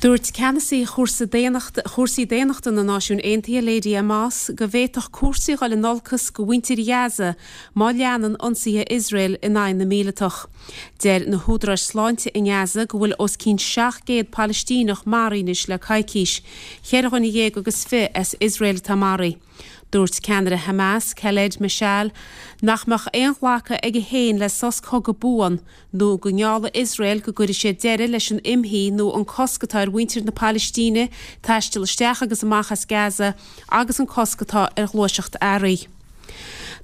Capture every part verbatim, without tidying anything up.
Dúirt ceannasaí chúrsaí daonnachta na Náisiún Aontaithe Lady Amos go bhféadfadh cúrsaí dul in olcas do mhuintir Ghaza má leanann ionsaithe Iosrael in aghaidh na míleatach. Deir na húdaráis sláinte i nGaza go bhfuil os cionn seacht gcéad Palaistíneach maraithe anois le coicís, cheithre dhuine dhéag agus fiche as Iosrael atá maraithe. Dúirt ceannaire Hamas, Khaled Meshaal, nach mbeadh aon ghlacadh aige féin le sos cogaidh buan nó go ngeallfaidh Iosrael go gcuirfidh siad deireadh leis an imshuí nó an cosc atá ar mhuintir na Palaistíne taisteal isteach agus amach as Gaza agus an cosc atá ar ghluaiseacht earraí.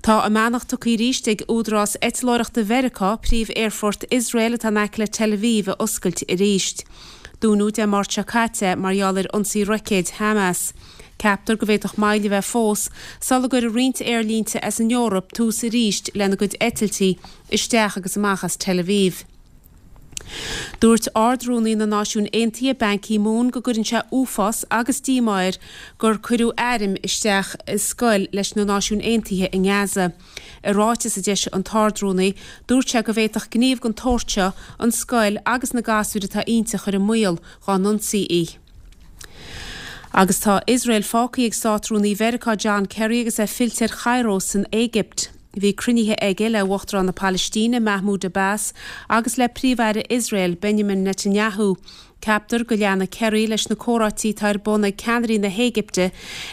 Tá a mbeannacht tugtha arís ag Údarás Eitleoireachta Mheiriceá príomh-aerfort Iosrael atá in aice le Tel Aviv a oscailt arís. Dúnadh Dé Máirt seo caite mar gheall ar ionsaí roicéid Hamas. Ceaptar go bhféadfadh moill a bheith fós sula gcuirfidh roinnt aerlínte as an Eoraip tús arís lena gcuid eitiltí isteach agus amach as Tel Aviv. Dúirt Ard-Rúnaí na Náisiún Aontaithe Ban Ki-moon go gcuireann sé uafás agus díomá air gur cuireadh airm isteach i scoil leis na Náisiúin Aontaithe i nGaza. I ráiteas a d'eisigh an tArd-Rúnaí, dúirt sé go bhféadfadh gníomh den tsórt seo an scoil agus na gasúir atá inti a chur i mbaol dá n-ionsaí í. Agus tá Iosrael fágtha ag Státrúnaí Mheiriceá John Kerry agus é fillte ar Chairo san Éigipt. Bhí cruinnithe aige le Uachtarán na Palaistíne Mahmoud Abbas agus le Príomh-Aire Iosrael Benjamin Netanyahu. Ceaptar go leanfaidh Kerry leis na comhráití atá ar bun ag ceannairí na hÉigipte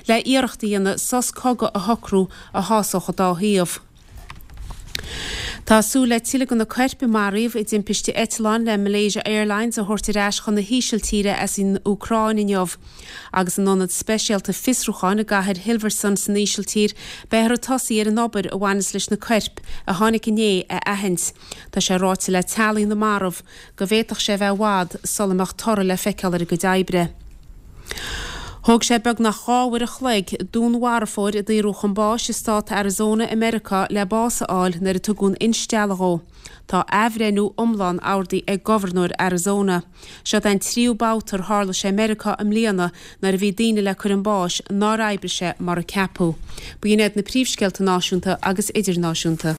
le iarracht a dhéanamh sos cogaidh a shocrú a shásódh an dá thaobh. Tá súil le tuilleadh de na coirp a maraíodh i dtimpiste eitleáin le Malaysia Airlines a thabhairt ar ais chun na hÍsiltíre as an Úcráin inniu. Agus in ionad speisialta fiosrúcháin i gcathair Hilversum san Ísiltír, beifear ag tosaí ar an obair a bhaineas leis na coirp a tháinig inné a aithint. Tá sé ráite le teaghlaigh na marbh go bhféadfadh sé a bheith i bhfad sula mbeadh toradh le feiceáil ar a gcuid oibre. Thóg sé beagnach dhá uair a chloig dúnmharfóir a daoradh chun báis i stát Arizona i Meiriceá le bás a fháil nuair a tugadh an instealladh dhó. Tá athbhreithniú iomlán ordaithe ag gobharnóir Arizona. Seo é an tríú babhta ar tharla sé i Meiriceá i mbliana nuair a bhí daoine le cur chun báis nár oibrigh sé mar a ceapadh. B'in iad na príomhscéalta náisiúnta agus idirnáisiúnta.